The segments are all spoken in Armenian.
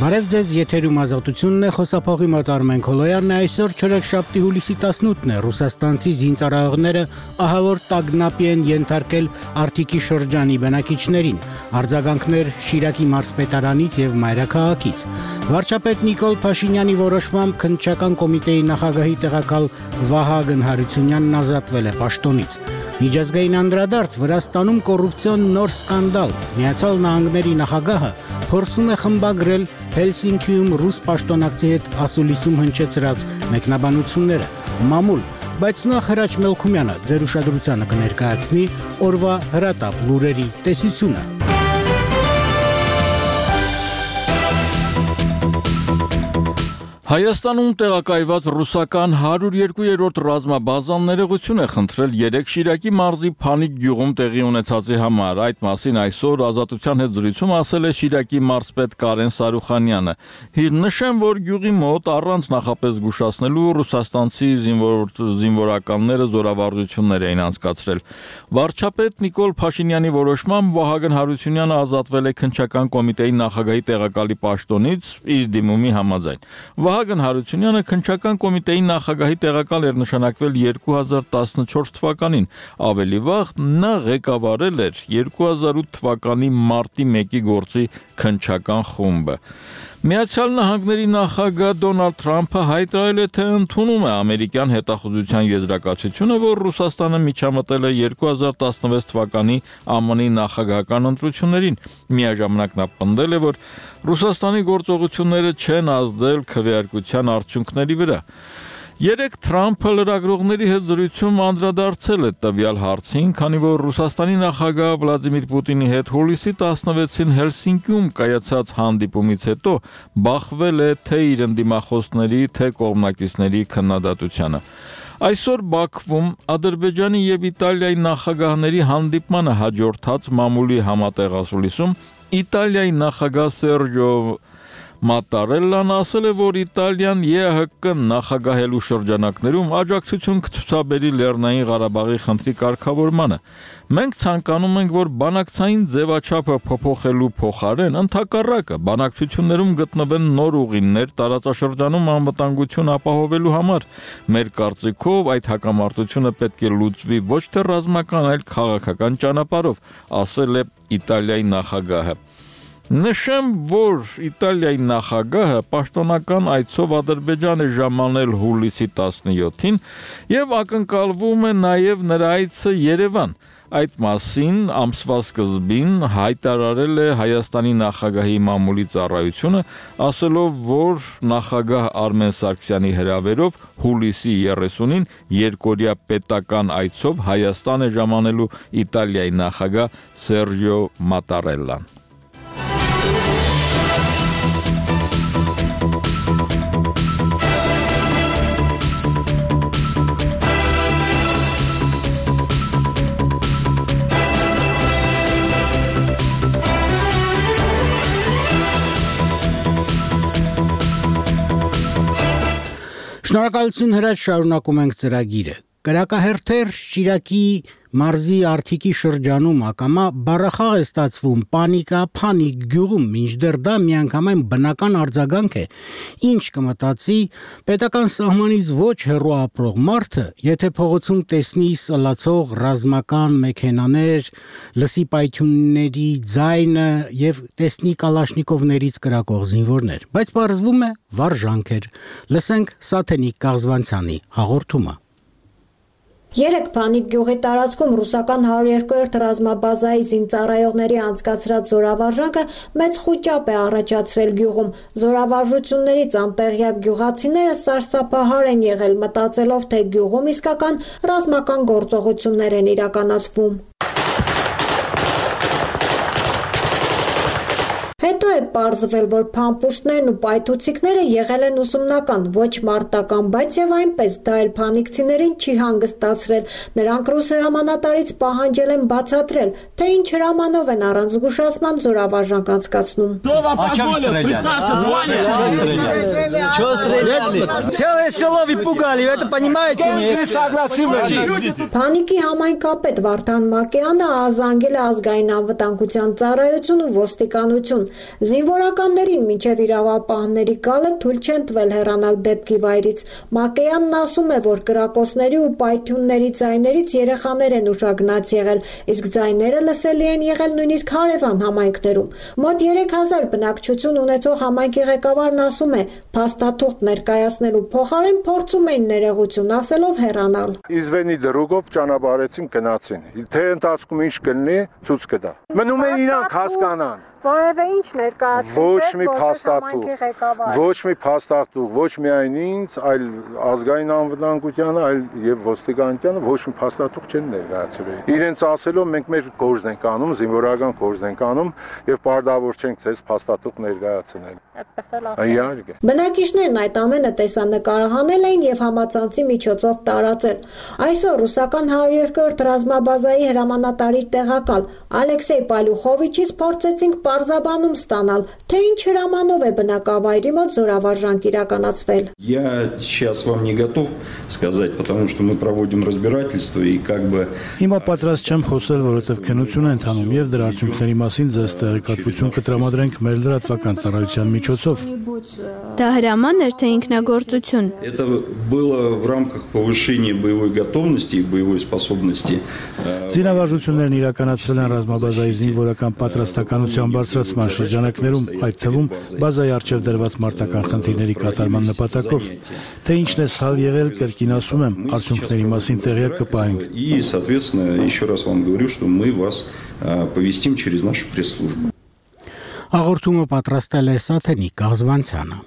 Բարև ձեզ, եթերում Ազատությունն է, խոսափողի մոտ Արմեն Քոլոյանն է, այսօր չորեքշաբթի հուլիսի 18-ն է, Ռուսաստանցի զինծառայողները ահավոր տագնապի են ենթարկել Արթիկի շրջանի բնակիչներին, արձագանքներ Շիրակի մարզպետարանից եւ մայրաքաղաքից։ Վարչապետ Նիկոլ Փաշինյանի որոշմամբ քննչական կոմիտեի նախագահի տեղակալ Վահագն Հարությունյանն ազատվել է պաշտոնից։ Միջազգային անդրադարձ Վրաստանում կոռուպցիոն նոր սկանդալ։ Միացյալ Նահանգների նախագահը փորձում է խմբագրել Հելսինկիում ռուս պաշտոնակցի հետ ասուլիսում հնչեցրած մեկնաբանությունները։ Մամուլ, բայց նախ Հրաչ Մելքումյանը ձեր ուշադրությանը կներկայացնի օրվա հրատապ լուրերի տեսությունը։ Հայաստանում տեղակայված ռուսական 102-րդ ռազմաբազան ներողություն է խնդրել 3 Շիրակի մարզի Փանիկ գյուղում տեղի ունեցածի համար։ Այդ մասին այսօր Ազատության հետ զրույցում ասել է Շիրակի մարզպետ Կարեն Սարուխանյանը։ Նշեմ, որ գյուղի մոտ առանց նախապես զգուշացնելու ռուսաստանցի զինվորականները զորավարժություններ էին անցկացրել։ Վարչապետ Նիկոլ Փաշինյանի որոշմամբ Վահագն Հարությունյանը ազատվել է քննչական կոմիտեի նախագահի տեղակալի պաշտոնից իր դիմումի համաձայն։ Վահագն Հարությունյանը քննչական կոմիտեի նախագահի տեղակալ էր նշանակվել 2014 թվականին, ավելի վաղ նա ղեկավարել էր 2008 թվականի մարտի 1-ի գործի քննչական խումբը։ Միացյալ Նահանգների նախագահ Դոնալդ Թրամփը հայտարարել է, թե ընդունում է ամերիկյան հետախուզության եզրակացությունը, որ Ռուսաստանը միջամտել է 2016 թվականի ԱՄՆ-ի նախագահական ընտրություններին։ Միաժամանակ նա պնդել է, որ Ռուսաստանի գործողությունները չեն ազդել քվեարկության արդյունքների վրա։ Երեկ Թրամփը լրագրողների հետ զրույցում անդրադարձել է տվյալ հարցին, քանի որ Ռուսաստանի նախագահ Վլադիմիր Պուտինի հետ հուլիսի 16-ին Հելսինկիում կայացած հանդիպումից հետո բախվել է թե իր ընդդիմախոսների, թե կողմնակիցների քննադատությանը։ Այսօր Բաքվում Ադրբեջանի եւ Իտալիայի նախագահների հանդիպմանը հաջորդած մամուլի համատեղ ասուլիսում Իտալիայի նախագահ Սերջո Մատարելլան ասել է, որ Իտալիան ԵԱՀԿ նախագահելու շրջանակներում աջակցություն կցուցաբերի Լեռնային Ղարաբաղի խնդրի կարգավորմանը։ Մենք ցանկանում ենք, որ բանակցային ձևաչափը փոփոխելու փոխարեն ընդհակառակը բանակցություններում գտնվեն նոր ուղիներ տարածաշրջանում անվտանգություն ապահովելու համար։ Մեր կարծիքով այդ հակամարտությունը պետք է լուծվի ոչ թե ռազմական, այլ քաղաքական ճանապարհով, ասել է Իտալիայի նախագահը։ Նշեմ, որ Իտալիայի նախագահը պաշտոնական այցով Ադրբեջան է ժամանել հուլիսի 17-ին եւ ակնկալվում է նաեւ նրա այցը Երևան։ Այդ մասին ամսվա սկզբին հայտարարել է Հայաստանի նախագահի մամուլի ծառայությունը, ասելով, որ նախագահ Արմեն Սարգսյանի հրավերով հուլիսի 30-ին երկօրյա պետական այցով Հայաստան է ժամանելու Իտալիայի նախագահ Սերջո Մատարելլան։ Շնորհակալություն Հրաչ, շարունակում ենք ծրագիրը։ Կրակահերթեր Շիրակի մարզի Արթիկի շրջանում ակամա բառախաղ է ստացվում Փանիկ գյուղում, մինչդեռ դա միանգամայն բնական արձագանք է, ինչ կմտածի պետական սահմանից ոչ հեռու ապրող մարդը, եթե փողոցում տեսնի սլացող ռազմական մեքենաներ, լսի պայթյունների ձայնը եւ տեսնի կալաշնիկովներից կրակող զինվորներ, բայց պարզվում է վարժանք էր։ Լսենք Սաթենիկ Կաղզվանցյանի հաղորդումը։ Երեկ Փանիկ գյուղի տարածքում ռուսական 102-րդ ռազմաբազայի զինծառայողների անցկացրած զորավարժանքը մեծ խուճապ է առաջացրել գյուղում։ Զորավարժություններից անտեղյակ գյուղացիները սարսափահար են եղել, մտածելով, թե գյուղում իսկական ռազմական գործողություններ են իրականացվում։ Հետո է պարզվել, որ փամփուշտներն ու պայթուցիկները եղել են ուսումնական, ոչ մարտական, բայց եւ այնպես դա էլ փանիկցիներին չի հանգստացրել։ Նրանք ռուս հրամանատարից պահանջել են բացատրել, թե ինչ հրամանով են առանց զգուշացման զորավարժանք անցկացնում։ Փանիկի համայնքապետ Վարդան Մակեյանը ազանգել է ազգային անվտանգության ծառայություն ու ոստիկանություն։ Զինվորականներին մինչև իրավապահների գալը թույլ չեն տվել հեռանալ դեպքի վայրից։ Մակեյանն ասում է, որ կրակոցների ու պայթյունների ձայներից երեխաներ են ուշագնաց եղել, իսկ ձայները լսելի են եղել նույնիսկ հարևան համայնքներում։ Մոտ 3000 բնակչություն ունեցող համայնքի ղեկավարն ասում է, փաստաթուղթ ներկայացնելու փոխարեն փորձում էին ներողություն ասելով հեռանալ։ Իզվենի դրուգով ճանապարհեցին գնացին։ Թե ընթացքում ինչ կլինի, ցույց կտա։ Մնում է իրանք հասկանան։ Որևէ ինչ ներկայացրեց ոչ մի փաստաթուղթ, ոչ միայն ինձ, այլ ազգային անվտանգությանը, այլ եւ ոստիկանությանը ոչ մի փաստաթուղթ չեն ներկայացրել։ Իրենց ասելով մենք մեր գործն ենք անում, զինվորական գործն ենք անում եւ պարտավոր չենք ցես փաստաթուղթ ներկայացնել։ Իհարկե։ Բնակիչներն այդ ամենը տեսանկարահանել էին եւ համացանցի միջոցով տարածել։ Այսօր ռուսական 102-րդ ռազմաբազայի հրամանատարի տեղակալ Ալեքսեյ Պալյուխովիչից փորձեցինք պարզաբանում ստանալ, թե ինչ հրամանով է բնակավայրի մոտ զորավարժանք իրականացվել։ Я сейчас вам не готов сказать, потому что мы проводим разбирательство и как бы Հիմա պատրաստ չեմ խոսել, որովհետև քննություն է ընթանում եւ դրա արդյունքների մասին ձեզ տեղեկատվություն կտրամադրենք մեր լրատվական ծառայության միջոցով։ Դա հրաման էր, թե ինքնագործություն։ Это было в рамках повышения боевой готовности и боевой способности. Զինավարժություններն իրականացվել են ռազմաբազայի զինվորական պատրաստականության բարձրացման շրջանակներում, այդ թվում բազայի առջև դրված մարտական խնդիրների կատարման նպատակով։ Թե ինչն է սխալ եղել, կրկին ասում եմ, արդյունքների մասին տեղյակ կպահենք։ И, соответственно, еще раз вам говорю, что мы вас повестим через нашу пресс-службу. Հաղորդումը պատրաստել է Սաթենիկ Աղզվանցյանը։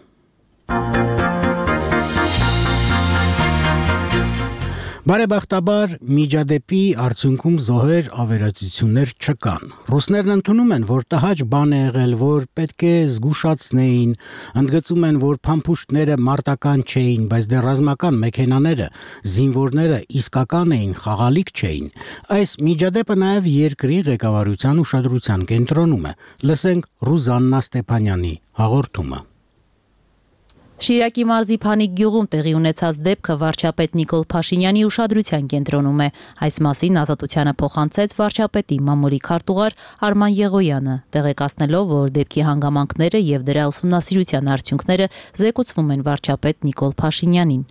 Բարեբախտաբար միջադեպի արդյունքում զոհեր ավերածություններ չկան։ Ռուսներն ընդունում են, որ տհաճ բան է եղել, որ պետք է զգուշացնեին, ընդգծում են, որ փամփուշտները մարտական չէին, բայց դեռ ռազմական մեքենաները, զինվորները իսկական էին, խաղալիք չէին։ Այս միջադեպը նաև երկրի ղեկավարության ուշադրության կենտրոնում է։ Լսենք Ռուզաննա Ստեփանյանի հաղորդումը։ Շիրակի մարզի Փանիկ գյուղում տեղի ունեցած դեպքը վարչապետ Նիկոլ Փաշինյանի ուշադրության կենտրոնում է։ Այս մասին Ազատությանը փոխանցեց վարչապետի մամուլի քարտուղար Արման Եղոյանը, տեղեկացնելով, որ դեպքի հանգամանքները եւ դրա ուսումնասիրության արդյունքները զեկուցվում են վարչապետ Նիկոլ Փաշինյանին։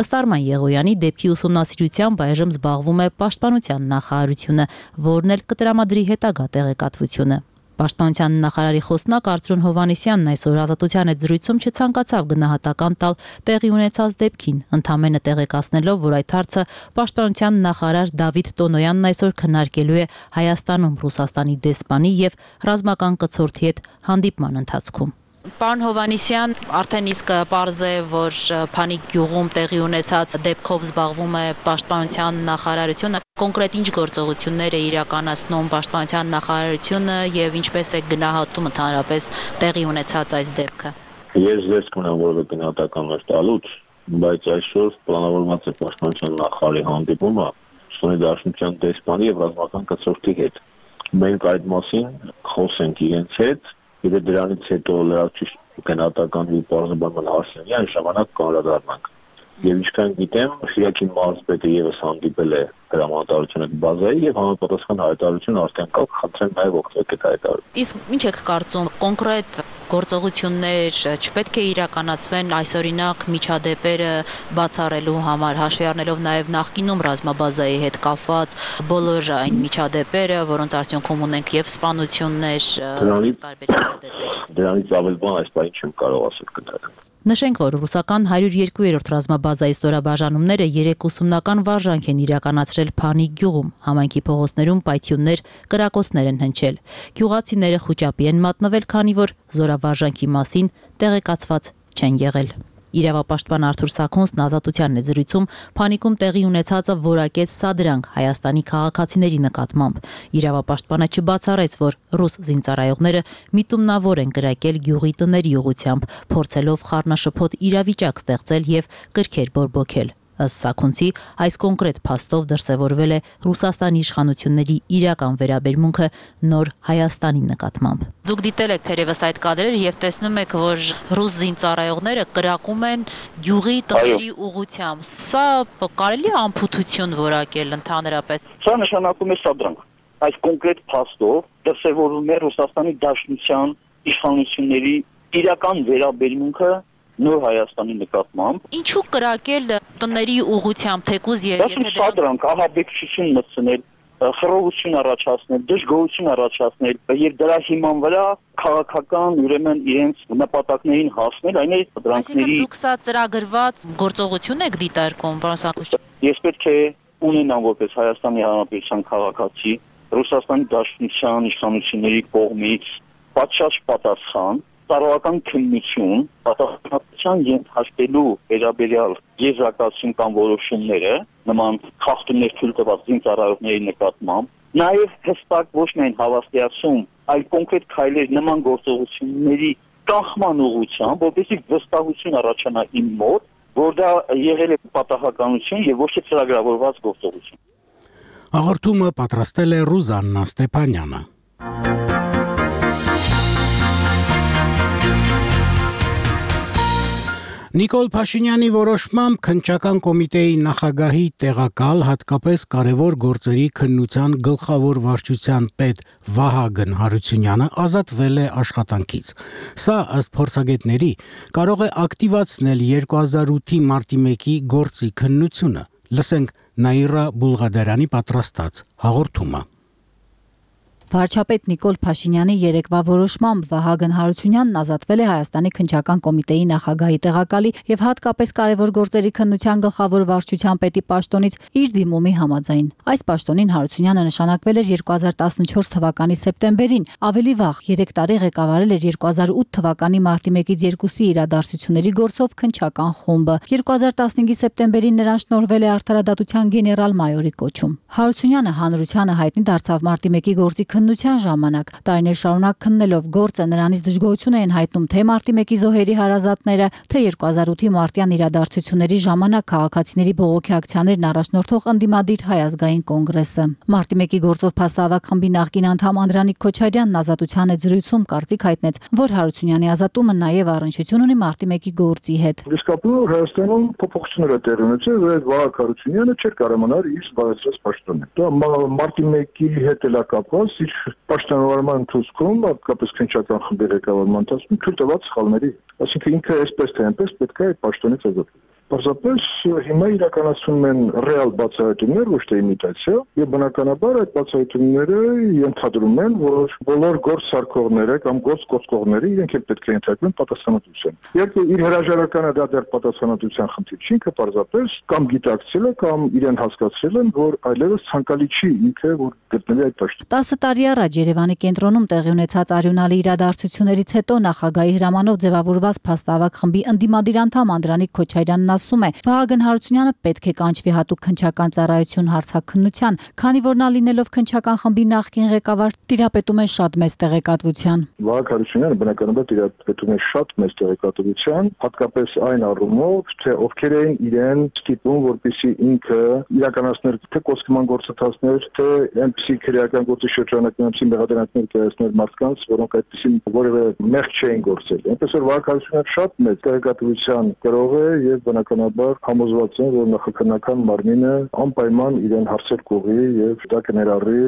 Ըստ Արման Եղոյանի դեպքի ուսումնասիրությամբ այժմ զբաղվում է Պաշտպանության նախարարությունը, որն էլ կտրամադրի հետագա տեղեկատվությունը։ Պաշտպանության նախարարի խոսնակ Արծրուն Հովհաննիսյանն այսօր Ազատության հետ զրույցում չցանկացավ գնահատական տալ տեղի ունեցած դեպքին, ընդամենը տեղեկացնելով, որ այդ հարցը Պաշտպանության նախարար Դավիթ Տոնոյանն այսօր քննարկելու է Հայաստանում Ռուսաստանի դեսպանի եւ ռազմական կցորդի հետ հանդիպման ընթացքում։ Պարոն Հովհաննիսյան, արդեն իսկ պարզ է, որ Փանիկ գյուղում տեղի ունեցած դեպքով զբաղվում է Պաշտպանության նախարարությունը։ Կոնկրետ ինչ գործողություններ է իրականացնում Պաշտպանության նախարարությունը եւ ինչպես է գնահատում ընդհանրապես տեղի ունեցած այս դեպքը։ Ես ձեզ կունեմ որևէ գնահատականներ տալուց, բայց այսօր պլանավորված է Պաշտպանության նախարարի հանդիպումը Ռուսաստանի Դաշնության դեսպանի եւ ռազմական կցորդի հետ։ Մենք այդ մասին խոսենք իրենց հետ։ Եթե դրանից հետո լրացուցիչ գնահատական ու բարձրաբանման հարցերի այն ժամանակ կանդրադառնանք։ Եվ ինչքան գիտեմ, Շիրակի մարզպետը եւս հանդիպել է հրամանատարությունը բազայի եւ համապատասխան հայտարարություն արդեն կա, խնդրեմ նաեւ օգտվեք այդ հայտարարությունից։ Իսկ ինչ եք կարծում, կոնկրետ գործողություններ չպետք է իրականացվեն այսօրինակ միջադեպերը բացառելու համար, հաշվի առնելով նաեւ նախկինում ռազմաբազայի հետ կապված բոլոր այն միջադեպերը, որոնց արդյունքում ունենք եւ սպանություններ, տարբեր միջադեպեր։ Դրանից ավել բան այս բանի չեմ կարող ասել կտրել։ Նշենք, որ ռուսական 102-րդ ռազմաբազայի ստորաբաժանումները 3 ուսումնական վարժանք են իրականացրել Փանիկ գյուղում, համայնքի փողոցներում պայթյուններ, կրակոցներ են հնչել։ Գյուղացիները խուճապի են մատնվել, քանի որ զորավարժանքի մասին տեղեկացված չեն եղել։ Իրավապաշտպան Արթուր Սաքունցն Ազատությանն է զրույցում Փանիկում տեղի ունեցածը որակեց սադրանք Հայաստանի քաղաքացիների նկատմամբ։ Իրավապաշտպանը չբացառեց, որ ռուս զինծառայողները միտումնավոր են կրակել գյուղի տների ուղղությամբ, փորձելով խառնաշփոթ իրավիճակ ստեղծել եւ կրքեր բորբոքել։ Ըստ Սաքունցի, այս կոնկրետ փաստով դրսևորվել է Ռուսաստանի իշխանությունների իրական վերաբերմունքը նոր Հայաստանի նկատմամբ։ Դուք դիտել եք թերևս այդ կադրերը եւ տեսնում եք, որ ռուս զինծառայողները կրակում են գյուղի տների ուղղությամբ։ Սա կարելի է անփութություն որակել ընդհանրապես։ Սա նշանակում է սադրանք։ Այս կոնկրետ փաստով դրսևորվում է Ռուսաստանի Դաշնության իշխանությունների իրական վերաբերմունքը նոր Հայաստանի նկատմամբ։ Ինչու կրակել տների ուղղությամբ թեկուզ եթե դրանք ահաբեկչություն մտցնել, խռովություն առաջացնել, դժգոհություն առաջացնել եւ դրա հիման վրա քաղաքական ուրեմն իրենց նպատակներին հասնել, այն է դրանքների դուք սա ծրագրված գործողություն եք դիտարկում, պարոն Սարգսյան։ Ես պետք է ունենամ որպես Հայաստանի Հանրապետության քաղաքացի Ռուսաստանի Դաշնության իշխանությունների կողմից պատշաճ պատասխան, տարողական քննություն, պատասխանատվության ենթարկելու վերաբերյալ եզրակացություն կամ որոշումները նման խախտումներ թույլ տված զինծառայողների նկատմամբ, նաև հստակ ոչ միայն հավաստիացում, այլ կոնկրետ քայլեր նման գործողությունների կանխման ուղղությամբ, որպեսզի վստահություն առաջանա իմ մոտ, որ դա եղել է պատահականություն եւ ոչ թե ծրագրավորված գործողություն։ Հաղորդումը պատրաստել է Ռուզաննա Ստեփանյանը։ Նիկոլ Փաշինյանի որոշմամբ քննչական կոմիտեի նախագահի տեղակալ, հատկապես կարևոր գործերի քննության գլխավոր վարչության պետ Վահագն Հարությունյանը ազատվել է աշխատանքից։ Սա ըստ փորձագետների կարող է ակտիվացնել 2008-ի մարտի 1-ի գործի քննությունը։ Լսենք Նաիրա Բուլղադարյանի պատրաստած հաղորդումը։ Վարչապետ Նիկոլ Փաշինյանի երեկվա որոշմամբ Վահագն Հարությունյանն ազատվել է Հայաստանի քննչական կոմիտեի նախագահի տեղակալի եւ հատկապես կարևոր գործերի քննության գլխավոր վարչության պետի պաշտոնից իր դիմումի համաձայն։ Այս պաշտոնին Հարությունյանը նշանակվել էր 2014 թվականի սեպտեմբերին, ավելի վաղ 3 տարի ղեկավարել էր 2008 թվականի մարտի 1-ից 2-ի իրադարձությունների գործով քննչական խումբը։ 2015-ի սեպտեմբերին նրան շնորհվել է արդարադատության գեներալ-մայորի կոչում։ Հարությունյանը հանրությանը հայտնի դարձավ մարտի 1-ի գործի քննության ժամանակ, տարիներ շարունակ քննելով գործը նրանից դժգոհություն էին հայտնում թե մարտի 1-ի զոհերի հարազատները, թե 2008-ի մարտյան իրադարձությունների ժամանակ քաղաքացիների բողոքի ակցիաներն առաջնորդող ընդդիմադիր Հայ ազգային կոնգրեսը։ Մարտի 1-ի գործով փաստահավաք խմբի նախկին անդամ Անդրանիկ Քոչարյանն ազատության հետ զրույցում կարծիք հայտնեց, որ Հարությունյանի ազատումը նաև առնչություն ունի մարտի 1-ի գործի հետ։ Իսկապես Հայաստանում փոփոխություններ է տեղի ունեցել, որ Վահագն Հարությունյանը չէր կարողանալ իր զբաղեցրած պաշտոնը։ Դա մարտի 1-ի հետ էլ կապված իր պաշտոնավարման ընթացքում, հատկապես քննչական խմբի ղեկավարման ընթացքում թույլ տված սխալների, այսինքն ինքը այսպես թե այնպես պետք է այդ պաշտոնից ազատվել։ Պարզապես հիմա իրականացվում են ռեալ բացահայտումներ, ոչ թե իմիտացիա, եւ բնականաբար այդ բացահայտումները ենթադրում են, որ բոլոր գործ սարքողները կամ գործ կոծկողները իրենք էլ պետք է ենթարկվեն պատասխանատվության։ Եթե իր հրաժարականը դա դեռ պատասխանատվության խնդիր չի, ինքը պարզապես կամ գիտակցել է կամ իրեն հասկացրել են, որ այլևս ցանկալի չի ինքը, որ գտնվի այդ պաշտոնում։ 10 տարի առաջ Երևանի կենտրոնում տեղի ունեցած արյունալի իրադարձություններից հետո նախագահի հրամանով ձևավորված փաստահավաք խմբի ընդդիմադիր անդամ Անդրանիկ Քոչարյանն ասում է, Վահագն Հարությունյանը պետք է կանչվի հատուկ քննչական ծառայություն հարցաքննության, քանի որ նա լինելով քննչական խմբի նախկին ղեկավար տիրապետում է շատ մեծ տեղեկատվության։ Վահագն Հարությունյանը բնականաբար տիրապետում է շատ մեծ տեղեկատվության, հատկապես այն առումով, թե ովքեր էին իրեն ստիպում, որպեսզի ինքը իրականացներ թե կոստկման գործընթացներ, թե այնպիսի քրեական գործի շրջանակներում այնպիսի մեղադրանքներ կայացներ մարդկանց, որոնք այդպիսին որևէ մեղք չէին գործել։ Այնպես որ Վահագն Հարությունյանը շատ մեծ տեղեկատվության գրող է եւ բնականաբար համոզված են, որ նախաքննական մարմինը անպայման իրեն հարցեր կուղի եւ դա կներառի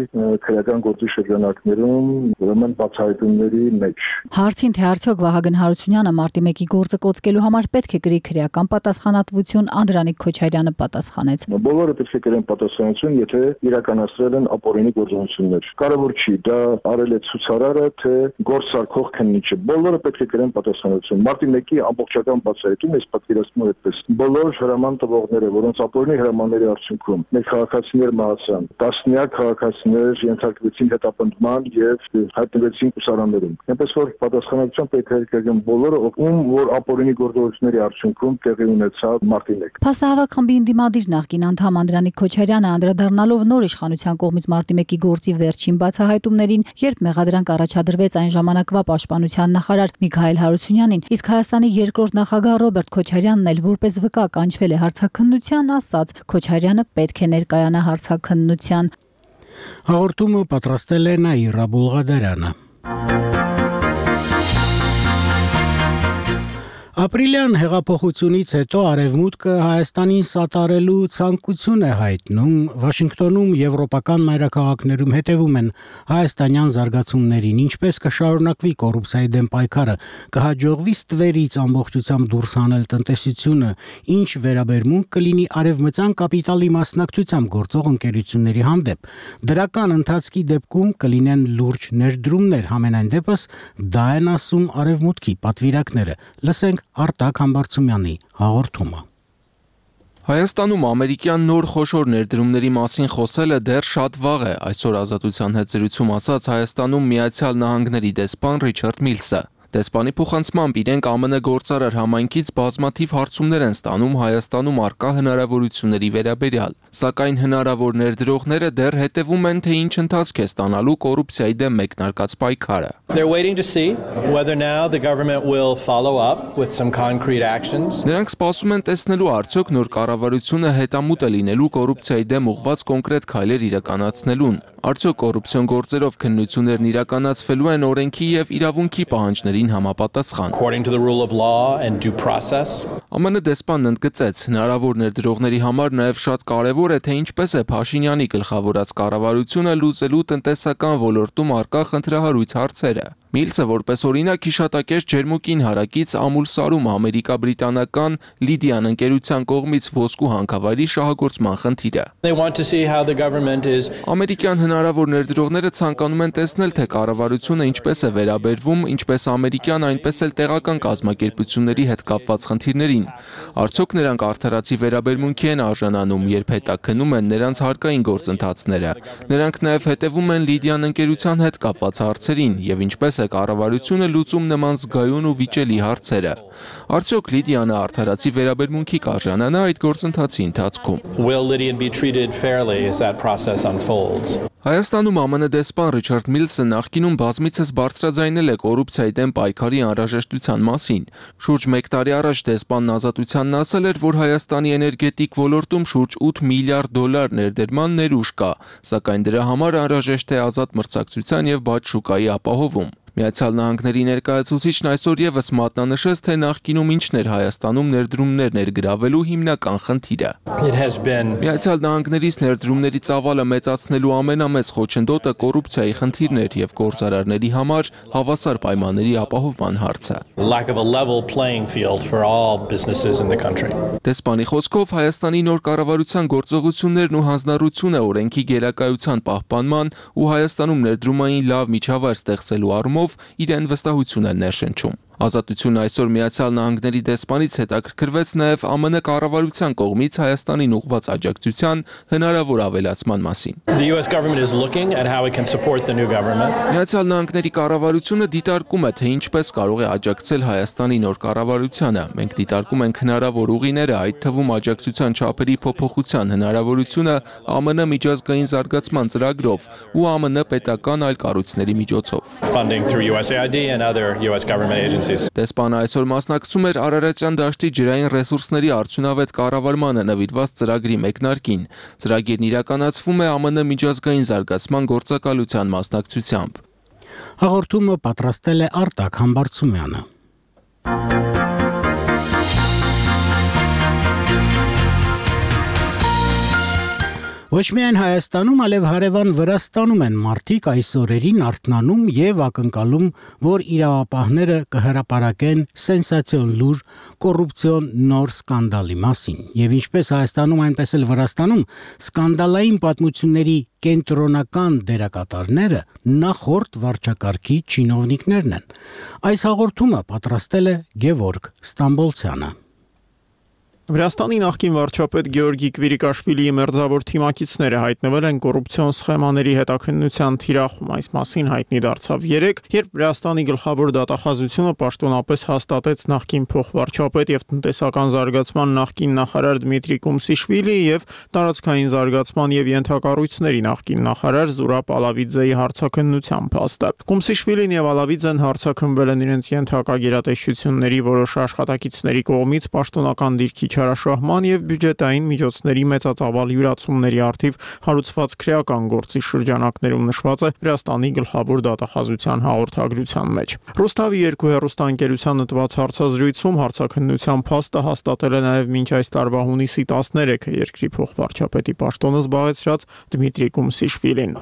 քրեական գործի շրջանակներում ուրեմն բացահայտումների մեջ։ Հարցին թե արդյոք Վահագն Հարությունյանը մարտի 1-ի գործը կոծկելու համար պետք է կրի քրեական պատասխանատվություն, Անդրանիկ Քոչարյանը պատասխանեց. Բոլորը պետք է կրեն պատասխանատվություն, եթե իրականացրել են ապօրինի գործողություններ։ Կարևոր չի դա արել է ցուցարարը, թե գործ սարքող քննիչը։ Բոլորը պետք է կրեն պատասխանատվություն։ Մարտի 1-ի ամբողջական բացահայտում է պատկերացնում այդպես։ Բոլոր հրաման տվողները, որոնց ապօրինի հրամանների արդյունքում մեր քաղաքացիներ մահացան, տասնյակ քաղաքացիներ ենթարկվեցին հետապնդման եւ հայտնվեցին կուսարաններում։ Այնպես որ պատասխանատվության պետք է կրեն բոլորը, ում որ ապօրինի գործողությունների արդյունքում տեղի ունեցավ մարտի 1։ Փաստահավաք խմբի ընդդիմադիր նախկին անդամ Անդրանիկ Քոչարյանը անդրադառնալով նոր իշխանության կողմից մարտի 1-ի գործի վերջին բացահայտումներին, երբ մեղադրանք առաջադրվեց այն ժամանակվա պաշտպանության նախարար Միքայել Հարությունյանին, իսկ Հայաստանի երկրորդ նախագահ Ռոբերտ Քոչարյանն էլ որպես վկա կանչվել է հարցաքննության, ասաց Քոչարյանը պետք է ներկայանա հարցաքննության։ Հաղորդումը պատրաստել է Նաիրա Բուլղադարյանը։ Ապրիլյան հեղափոխությունից հետո Արևմուտքը Հայաստանին սատարելու ցանկություն է հայտնում, Վաշինգտոնում եվրոպական մայրաքաղաքներում հետևում են հայաստանյան զարգացումներին, ինչպես կշարունակվի կոռուպցիայի դեմ պայքարը, կհաջողվի ստվերից ամբողջությամբ դուրս հանել տնտեսությունը, ինչ վերաբերմունք կլինի արևմտյան կապիտալի մասնակցությամբ գործող ընկերությունների հանդեպ։ Դրական ընթացքի դեպքում կլինեն լուրջ ներդրումներ, համենայն դեպս դա են ասում Արևմուտքի պատվիրակները։ Լսենք Արտակ Համբարձումյանի հաղորդումը։ Հայաստանում ամերիկյան նոր խոշոր ներդրումների մասին խոսելը դեռ շատ վաղ է, այսօր Ազատության հետ զրույցում ասաց Հայաստանում Միացյալ Նահանգների դեսպան Ռիչարդ Միլսը։ Դեսպանի փոխանցմամբ իրենք ԱՄՆ գործարար համայնքից բազմաթիվ հարցումներ են ստանում Հայաստանում առկա հնարավորությունների վերաբերյալ, սակայն հնարավոր ներդրողները դեռ հետևում են, թե ինչ ընթացք է ստանալու կոռուպցիայի դեմ մեկնարկած պայքարը։ Նրանք սպասում են տեսնելու արդյոք նոր կառավարությունը հետամուտ է լինելու կոռուպցիայի դեմ ուղղված կոնկրետ քայլեր իրականացնելուն, արդյոք կոռուպցիոն գործերով քննություններն իրականացվելու են օրենքի եւ իրավունքի պահանջներին համապատասխան։ ԱՄՆ դեսպանն ընդգծեց, հնարավոր ներդրողների համար նաև շատ կարևոր է, թե ինչպես է Փաշինյանի գլխավորած կառավարությունը լուծելու տնտեսական ոլորտում առկա խնդրահարույց հարցերը։ Միլսը որպես օրինակ հիշատակեց Ջերմուկին հարակից Ամուլսարում ամերիկա-բրիտանական Լիդիան ընկերության կողմից ոսկու հանքավայրի շահագործման խնդիրը։ Ամերիկյան հնարավոր ներդրողները ցանկանում են տեսնել, թե կառավարությունը ինչպես է վերաբերվում ինչպես ամերիկյան, այնպես էլ տեղական կազմակերպությունների հետ կապված խնդիրներին։ Արդյոք նրանք արդարացի վերաբերմունքի են արժանանում, երբ հետաքննում են նրանց հարկային գործընթացները։ Նրանք նաև հետևում են Լիդիան ընկերության հետ կապված հարցերին եւ ինչպես է կառավարությունը լուծում նման զգայուն ու վիճելի հարցերը։ Արդյոք Լիդիանը արդարացի վերաբերմունքի կարժանանա այդ գործընթացի ընթացքում։ Հայաստանում ԱՄՆ դեսպան Ռիչարդ Միլսը նախկինում բազմիցս բարձրաձայնել է կոռուպցիայի դեմ պայքարի անհրաժեշտության մասին։ Շուրջ 1 տարի առաջ դեսպանն Ազատությանն ասել էր, որ Հայաստանի էներգետիկ ոլորտում շուրջ 8 միլիարդ դոլար ներդրման ներուժ կա, սակայն դրա համար անհրաժեշտ է ազատ մրցակցության եւ բաց շուկայի ապահովում։ Միացյալ Նահանգների ներկայացուցիչն այսօր եւս մատնանշեց, թե նախկինում ինչն էր Հայաստանում ներդրումներ ներգրավելու հիմնական խնդիրը։ Միացյալ Նահանգներից ներդրումների ծավալը մեծացնելու ամենամեծ խոչընդոտը կոռուպցիայի խնդիրն էր եւ գործարարների համար հավասար պայմանների ապահովման հարցը։ Դեսպանի խոսքով Հայաստանի նոր կառավարության գործողություններն ու հանձնառությունը օրենքի գերակայության պահպանման ու Հայաստանում ներդրումային լավ միջավայր ստեղծելու առումով իրեն վստահություն են ներշնչում։ Ազատությունը այսօր Միացյալ Նահանգների դեսպանից հետաքրքրվեց նաև ԱՄՆ կառավարության կողմից Հայաստանին ուղղված աջակցության հնարավոր ավելացման մասին։ Միացյալ Նահանգների կառավարությունը դիտարկում է, թե ինչպես կարող է աջակցել Հայաստանի նոր կառավարությանը։ Մենք դիտարկում ենք հնարավոր ուղիները, այդ թվում աջակցության չափերի փոփոխության հնարավորությունը ԱՄՆ միջազգային զարգացման ծրագրով ու ԱՄՆ պետական այլ կառույցների միջոցով։ Դեսպանը այսօր մասնակցում էր Արարատյան դաշտի ջրային ռեսուրսների արդյունավետ կառավարմանը նվիրված ծրագրի մեկնարկին։ Ծրագիրն իրականացվում է ԱՄՆ միջազգային զարգացման գործակալության մասնակցությամբ։ Հաղորդումը պատրաստել է Արտակ Համբարձումյանը։ Ոչ միայն Հայաստանում, այլև հարևան Վրաստանում են մարդիկ այս օրերին արթնանում եւ ակնկալում, որ իրավապահները կհրապարակեն սենսացիոն լուր կոռուպցիոն նոր սկանդալի մասին։ Եվ ինչպես Հայաստանում, այնպես էլ Վրաստանում սկանդալային պատմությունների կենտրոնական դերակատարները նախորդ վարչակարգի չինովնիկներն են։ Այս հաղորդումը պատրաստել է Գևորգ Ստամբոլցյանը։ Վրաստանի նախկին վարչապետ Գեորգի Կվիրիկաշվիլիի մերձավոր թիմակիցները հայտնվել են կոռուպցիոն սխեմաների հետաքննության թիրախում։ Այս մասին հայտնի դարձավ երեկ, երբ Վրաստանի գլխավոր դատախազությունը պաշտոնապես հաստատեց նախկին փոխվարչապետ եւ տնտեսական զարգացման նախկին նախարար Դմիտրի Կումսիշվիլիի եւ տարածքային զարգացման եւ ենթակառույցների նախկին նախարար Զուրաբ Ալավիձեի հարցաքննության փաստը։ Կումսիշվիլին եւ Ալավիձեն հարցաքննվել են իրենց ենթակա գերատեսչությունների որոշ աշխատակիցների կողմից պաշտոնական դիրքի չարաշահման եւ բյուջետային միջոցների մեծածավալ յուրացումների առթիվ հարուցված քրեական գործի շրջանակներում նշված է Վրաստանի գլխավոր դատախազության հաղորդագրության մեջ։ Ռուստավի 2 հեռուստաընկերությանը տված հարցազրույցում հարցաքննության փաստը հաստատել է նաեւ մինչ այս տարվա հունիսի 13-ը երկրի փոխվարչապետի պաշտոնը զբաղեցրած Դմիտրի Կումսիշվիլին։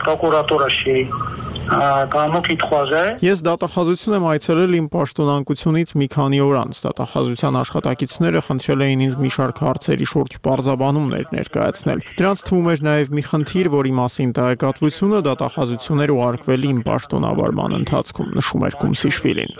Ես դատախազություն եմ այցելել իմ պաշտոնանկությունից մի քանի օր անց։ Դատախազության աշխատակիցները խնդրել էին ինձ մի շարք հարցերի շուրջ պարզաբանումներ ներկայացնել։ Դրանց թվում էր նաև մի խնդիր, որի մասին տեղեկատվությունը դատախազություններ ուղարկվել իմ պաշտոնավարման ընթացքում, նշում էր Կումսիշվիլին։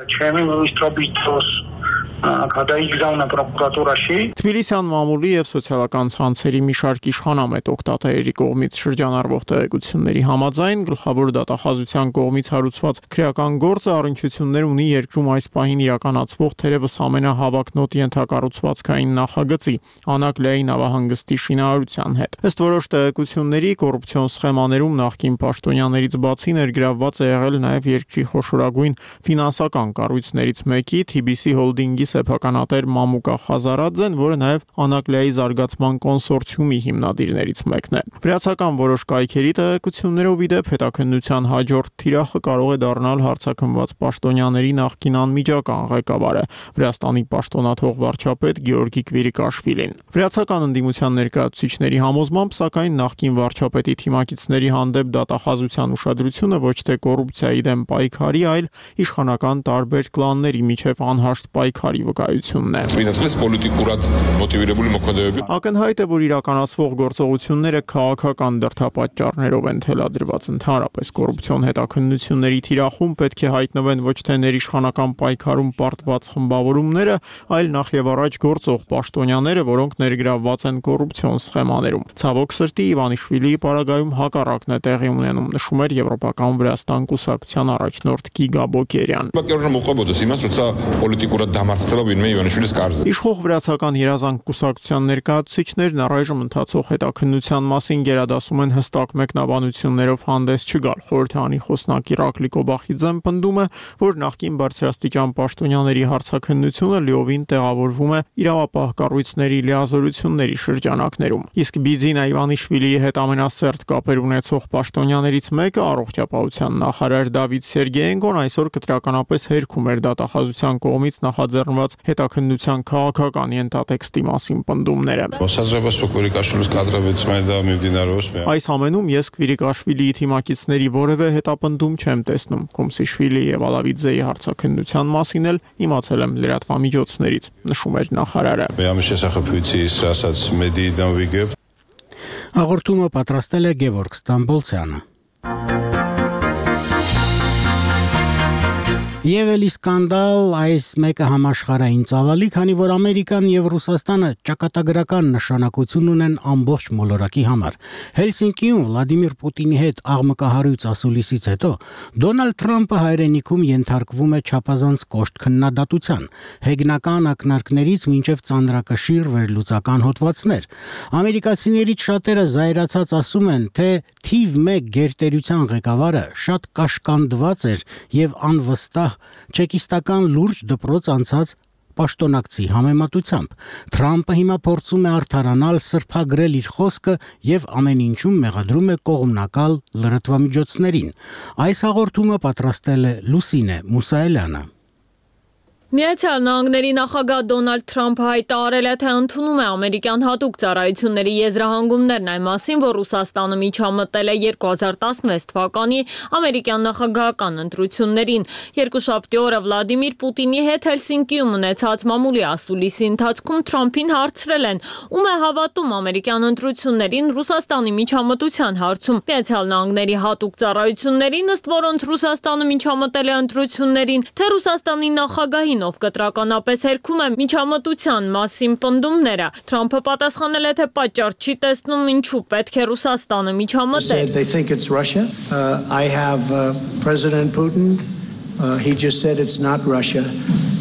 Թբիլիսյան մամուլի եւ սոցիալական ցանցերի մի շարք իշխանամետ օգտատերերի կողմից շրջանառվող տեղեկությունների համաձայն գլխավոր դատախազության կողմից հարուցված քրեական գործը առնչություններ ունի երկրում այս պահին իրականացվող թերևս ամենահավակնոտ ենթակառուցվածքային նախագծի Անակլեայի նավահանգստի շինարարության հետ։ Ըստ որոշ տեղեկությունների կոռուպցիոն սխեմաներում նախկին պաշտոնյաներից բացի ներգրավված է եղել նաև երկրի խոշորագույն ֆինանսական կառույցներից մեկի TBC Holding-ի սեփականատեր Մամուկա Խազարաձեն, որը նաև Անակլեայի զարգացման կոնսորցիումի հիմնադիրներից մեկն է։ Վրացական որոշ կայքերի տեղեկություններով ի դեպ հետաքննության հաջորդ թիրախը կարող է դառնալ հարցաքննված պաշտոնյաների նախկին անմիջական ղեկավարը Վրաստանի պաշտոնաթող վարչապետ Գեորգի Կվիրիկաշվիլին։ Վրացական ընդդիմության ներկայացուցիչների համոզմամբ, սակայն նախկին վարչապետի թիմակիցների հանդեպ դատախազության ուշադրությունը ոչ թե կոռուպցիայի դեմ պայքարի, այլ իշխանական տարբեր կլանների միջև անհաշտ պայքարի վկայությունն է։ Ակնհայտ է, որ իրականացվող գործողությունները քաղաքական դրդապատճառներով են թելադրված։ Ընդհանրապես կոռուպցիոն հետաքննությունների թիրախում պետք է հայտնվեն ոչ թե ներիշխանական պայքարում պարտված խմբավորումները, այլ նախ եւ առաջ գործող պաշտոնյաները, որոնք ներգրավված են կոռուպցիոն սխեմաներում։ Ցավոք սրտի Իվանիշվիլիի պարագայում հակառակն է տեղի ունենում, նշում էր Եվրոպական Վրաստան կուսակցության առաջնորդ Գիգա Բոկերյան։ Իշխող վրացական երազանք կուսակցության ներկայացուցիչներն առայժմ ընթացող հետաքննության մասին գերադասում են հստակ մեկնաբանություններով հանդես չգալ։ Խորհրդանի խոսնակ Իրակլի Կոբախիձեն պնդում է, որ նախկին բարձրաստիճան պաշտոնյաների հարցաքննությունը լիովին տեղավորվում է իրավապահ կառույցների լիազորությունների շրջանակներում։ Իսկ Բիձինա Իվանիշվիլիի հետ ամենասերտ կապեր ունեցող պաշտոնյաներից մեկը առողջապահության նախարար Դավիթ Սերգեենկոն այսօր կտրականապես հերքում էր դատախազության կողմից նախաձեռնված հետաքննության քաղաքական ենթատեքստի մասին պնդումները։ Այս ամենում ես Կվիրիկաշվիլիի թիմակիցների որևէ հետապնդում չեմ տեսնում։ Կումսիշվիլի եւ Ալավիձեի հարցաքննության մասին էլ իմացել եմ լրատվամիջոցներից, նշում էր նախարարը։ Հաղորդումը պատրաստել է Գևորգ Ստամբոլցյանը։ Եվ էլի սկանդալ, այս մեկը համաշխարհային ծավալի, քանի որ Ամերիկան եւ Ռուսաստանը ճակատագրական նշանակություն ունեն ամբողջ մոլորակի համար։ Հելսինկիում Վլադիմիր Պուտինի հետ աղմկահարույց ասուլիսից հետո Դոնալդ Թրամփը հայրենիքում ենթարկվում է չափազանց կոշտ քննադատության, հեգնական ակնարկներից մինչև ծանրակշիռ վերլուծական հոդվածներ։ Ամերիկացիներից շատերը զայրացած ասում են, թե թիվ 1 գերտերության ղեկավարը շատ կաշկանդված էր եւ անվստահ չեկիստական լուրջ դպրոց անցած պաշտոնակցի համեմատությամբ։ Թրամփը հիմա փորձում է արդարանալ, սրբագրել իր խոսքը եւ ամեն ինչում մեղադրում է կողմնակալ լրատվամիջոցներին։ Այս հաղորդումը պատրաստել է Լուսինե Մուսայելյանը։ Միացյալ Նահանգների նախագահ Դոնալդ Թրամփը հայտարարել է, թե ընդունում է ամերիկյան հատուկ ծառայությունների եզրահանգումներն այն մասին, որ Ռուսաստանը միջամտել է 2016 թվականի ամերիկյան նախագահական ընտրություններին։ Երկուշաբթի օրը Վլադիմիր Պուտինի հետ Հելսինկիում ունեցած մամուլի ասուլիսի ընթացքում Թրամփին հարցրել են, ում է հավատում ամերիկյան ընտրություններին Ռուսաստանի միջամտության հարցում։ Միացյալ Նահանգների հատուկ ծառայություններին, ըստ որոնց Ռուսաստանը միջամտել է ընտրություններին, թե Ռուսաստանի նախագահին ով կտրականապես հերքում է միջամտության մասին պնդումները։ Թրամփը պատասխանել է, թե պատճառ չի տեսնում ինչու պետք է Ռուսաստանը միջամտել։ I have President Putin. He just said it's not Russia.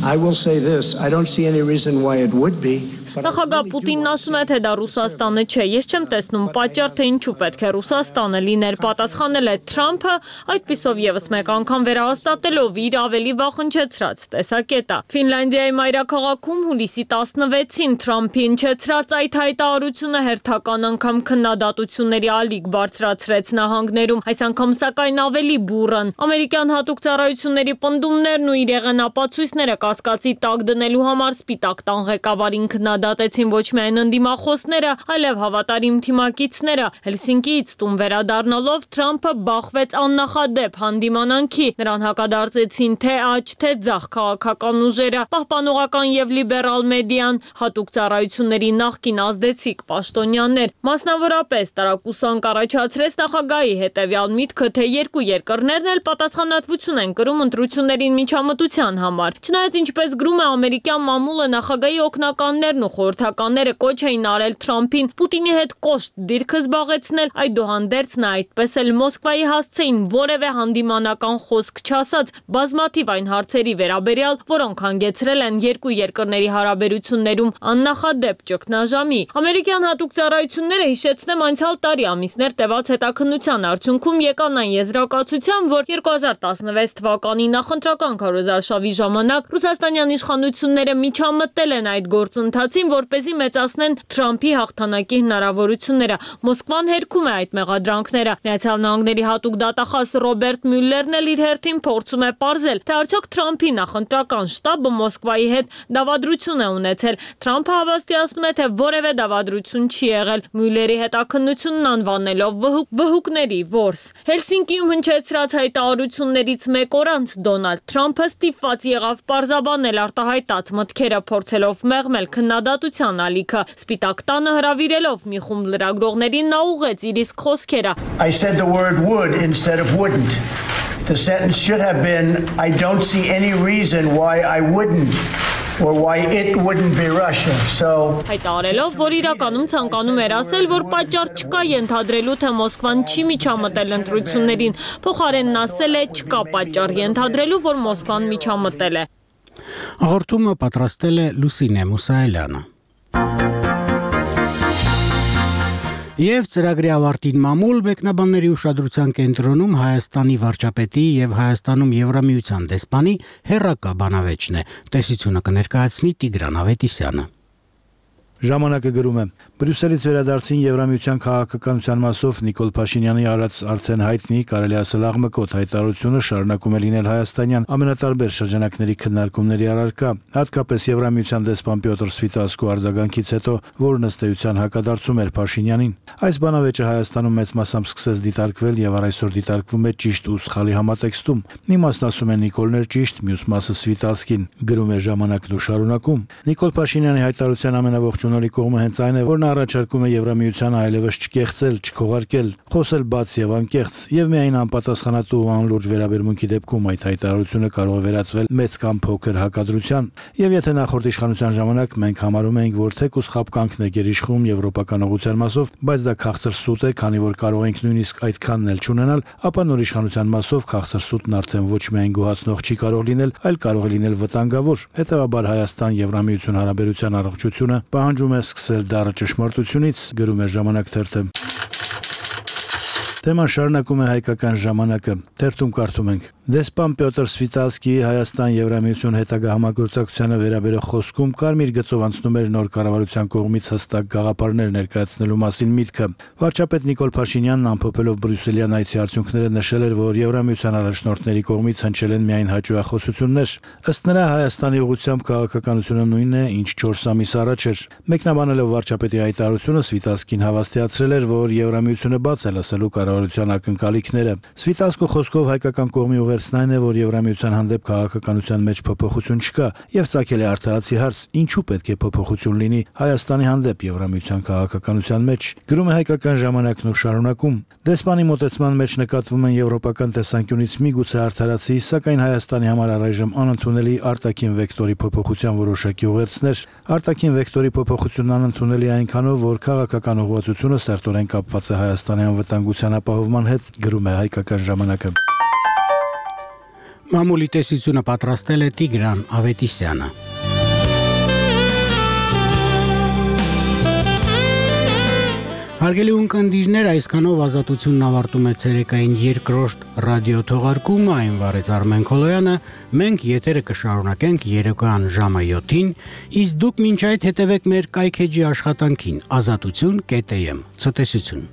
I will say this. I don't see any reason why it would be. Նախագահ Պուտինն ասում է, թե դա Ռուսաստանը չէ։ Ես չեմ տեսնում պատճառ, թե ինչու պետք է Ռուսաստանը լիներ, պատասխանել է Թրամփը, այդպիսով եւս մեկ անգամ վերահաստատելով իր ավելի վախընչեցրած տեսակետը։ Ֆինլանդիայի մայրաքաղաքում հուլիսի 16-ին Թրամփի հնչեցրած այդ հայտարարությունը հերթական անգամ քննադատությունների ալիք բարձրացրեց նահանգներում, այս անգամ սակայն ավելի բուռն։ Ամերիկյան հատուկ ծառայությունների պնդումներն ու իր եղանապացույցները կասկածի տակ դնելու համար Սպիտակ տան ղեկավարին քննադատեցին ոչ միայն ընդդիմախոսները, այլև հավատարիմ թիմակիցները։ Հելսինկիից տուն վերադառնալով Թրամփը բախվեց աննախադեպ հանդիմանանքի։ Նրան հակադարձեցին թե աջ, թե ձախ քաղաքական ուժերը, պահպանողական եւ լիբերալ մեդիան, հատուկ ծառայությունների նախկին ազդեցիկ պաշտոնյաներ։ Մասնավորապես տարակուսանք առաջացրեց նախագահի հետևյալ միտքը, թե երկու երկրներն էլ պատասխանատվություն են կրում ընտրություններին միջամտության համար։ Չնայած ինչպես գրում է ամերիկյան մամուլը, նախագահի օգնականներն ու խորհրդականները կոչ էին արել Թրամփին Պուտինի հետ կոշտ դիրքը զբաղեցնել, այդուհանդերձ նա այդպես էլ Մոսկվայի հասցեին որևէ հանդիմանական խոսք չասած բազմաթիվ այն հարցերի վերաբերյալ, որոնք հանգեցրել են երկու երկրների հարաբերություններում աննախադեպ ճգնաժամի։ Ամերիկյան հատուկ ծառայությունները, հիշեցնեմ, անցյալ տարի ամիսներ տևած հետաքննության արդյունքում եկան այն եզրակացության, որ 2016 թվականի նախընտրական քարոզարշավի ժամանակ ռուսաստանյան իշխանությունները միջամտել են այդ գործընթացին, որպեսզի մեծացնեն Թրամփի հաղթանակի հնարավորությունները։ Մոսկվան հերքում է այդ մեղադրանքները։ Միացյալ Նահանգների հատուկ դատախազ Ռոբերտ Մյուլլերն էլ իր հերթին փորձում է պարզել, թե արդյոք Թրամփի նախընտրական շտաբը Մոսկվայի հետ դավադրություն է ունեցել։ Թրամփը հավաստիացնում է, թե որևէ դավադրություն չի եղել, Մյուլլերի հետաքննությունն անվանելով վհուկների որս։ Հելսինկիում հնչեցրած հայտարարություններից մեկ օր անց Դոնալդ Թրամփը ստիպված եղավ պարզաբանել արտահայտած մտքերը, փորձելով մեղմել քննադատության ալիքը։ Սպիտակ տանը հրավիրելով մի խումբ լրագրողներին նա ուղղեց իր իսկ խոսքերը։ I said the word would instead of wouldn't. The sentence should have been I don't see any reason why I wouldn't. Or why it wouldn't be Russia. So հայտարարելով, որ իրականում ցանկանում էր ասել, որ պատճառ չկա ենթադրելու, թե Մոսկվան չի միջամտել ընտրություններին, փոխարենն ասել է չկա պատճառ ենթադրելու, որ Մոսկվան միջամտել է։ Հաղորդումը պատրաստել է Լուսինե Մուսայելյանը։ Եվ ծրագրի ավարտին մամուլ մեկնաբանների ուշադրության կենտրոնում Հայաստանի վարչապետի եւ Հայաստանում Եվրամիության դեսպանի հերրակա բանավեճն է։ Տեսությունը կներկայացնի Տիգրան Ավետիսյանը։ Ժամանակը գրում է. Բրյուսելից վերադարձին Եվրամիության քաղաքականության մասով Նիկոլ Փաշինյանի արած արդեն հայտնի, կարելի ասել աղմկոտ հայտարարությունը շարունակում է լինել հայաստանյան ամենատարբեր շրջանակների քննարկումների առարկա, հատկապես Եվրամիության դեսպան Պյոտր Սվիտասկու արձագանքից հետո, որն ըստ էության հակադարձում էր Փաշինյանին։ Այս բանավեճը Հայաստանում մեծ մասամբ սկսեց դիտարկվել եւ առայսօր դիտարկվում է ճիշտ ու սխալի համատեքստում։ Մի մասն ասում է Նիկոլն էր ճիշտ, մյուս մասը Սվիտասկին, գրում է ժամանակն ու շարունակում։ Նիկոլ Փաշինյանի հայտարարության ամենաողջունալի կողմը հենց այն է, որ նա առաջարկում է Եվրամիությանը այլևս չկեղծել, չքողարկել, խոսել բաց եւ անկեղծ, եւ միայն անպատասխանատու ու անլուրջ վերաբերմունքի դեպքում այդ հայտարարությունը կարող է վերածվել մեծ կամ փոքր հակադրության։ Եվ եթե նախորդ իշխանության ժամանակ մենք համարում էինք, որ թեկուզ խապկանքն է գերիշխում եվրոպական ուղղության մասով, բայց դա քաղցր սուտ է, քանի որ կարող ենք նույնիսկ այդքանն էլ չունենալ, ապա նոր իշխանության մասով քաղցր սուտն արդեն ոչ միայն գոհացնող չի կարող լինել, այլ կարող է լինել վտանգավոր։ Հետևաբար Հայաստան-Եվրամիություն հարաբերության առողջությունը պահանջում է սկսել դառը ճշմարտությունից, գրում է Ժամանակ թերթը։ Թեման շարունակում է Հայկական ժամանակը։ Թերթում կարդում ենք. Դեսպան Պյոտր Սվիտասկիի Հայաստան-Եվրամիություն հետագա համագործակցությանը վերաբերող խոսքում կարմիր գծով անցնում էր նոր կառավարության կողմից հստակ գաղափարներ ներկայացնելու մասին միտքը։ Վարչապետ Նիկոլ Փաշինյանն ամփոփելով բրյուսելյան այցի արդյունքները նշել էր, որ Եվրամիության առաջնորդների կողմից հնչել են միայն հաճույախոսություններ։ Ըստ նրա Հայաստանի ուղղությամբ քաղաքականությունը նույնն է, ինչ 4 ամիս առաջ էր։ Մեկնաբանելով վարչապետի հայտարարությունը Սվիտասկին հավաստիացրել էր, որ Եվրամիությունը բաց է լսելու կառավարության ակնկալիքները։ Սվիտասկու խոսքով հայկական կողմի ուղերձն այն է, որ Եվրամիության հանդեպ քաղաքականության մեջ փոփոխություն չկա, եւ ցակել է արդարացի հարց. ինչու պետք է փոփոխություն լինի Հայաստանի հանդեպ Եվրամիության քաղաքականության մեջ։ Գրում է Հայկական ժամանակն ու շարունակում. Դեսպանի մոտեցման մեջ նկատվում են եվրոպական տեսանկյունից միգուցե արդարացի, սակայն Հայաստանի համար առայժմ անընդունելի արտաքին վեկտորի փոփոխության որոշակի ուղերձներ։ Արտաքին վեկտորի փոփոխությունն անընդունելի է այնքանով, որ քաղաքական ուղղվածությունը սերտորեն կապված է Հայաստանի անվտանգության ապահովման հետ, գրում է Հայկական ժամանակը։ Մամուլի տեսությունը պատրաստել է Տիգրան Ավետիսյանը։ Հարգելի ունկնդիրներ, այսքանով Ազատությունն ավարտում է ցերեկային երկրորդ ռադիո թողարկումը, այն վարեց Արմեն Քոլոյանը, մենք եթերը կշարունակենք երեկոյան ժամը 7-ին, իսկ դուք մինչ այդ հետևեք մեր կայքեջի աշխատանքին, azatutun.am, ցտեսություն։